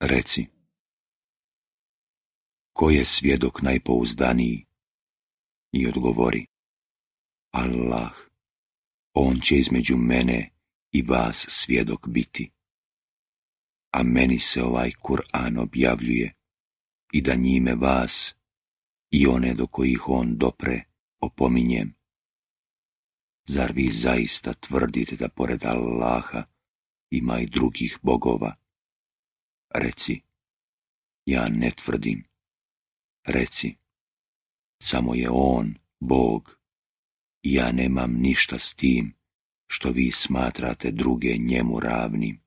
Reci, ko je svjedok najpouzdaniji? I odgovori, Allah, on će između mene i vas svjedok biti. A meni se ovaj Kur'an objavljuje i da njime vas i one do kojih on dopre opominjem. Zar vi zaista tvrdite da pored Allaha ima i drugih bogova? Reci, ja ne tvrdim. Reci, samo je on Bog i ja nemam ništa s tim što vi smatrate druge njemu ravnim.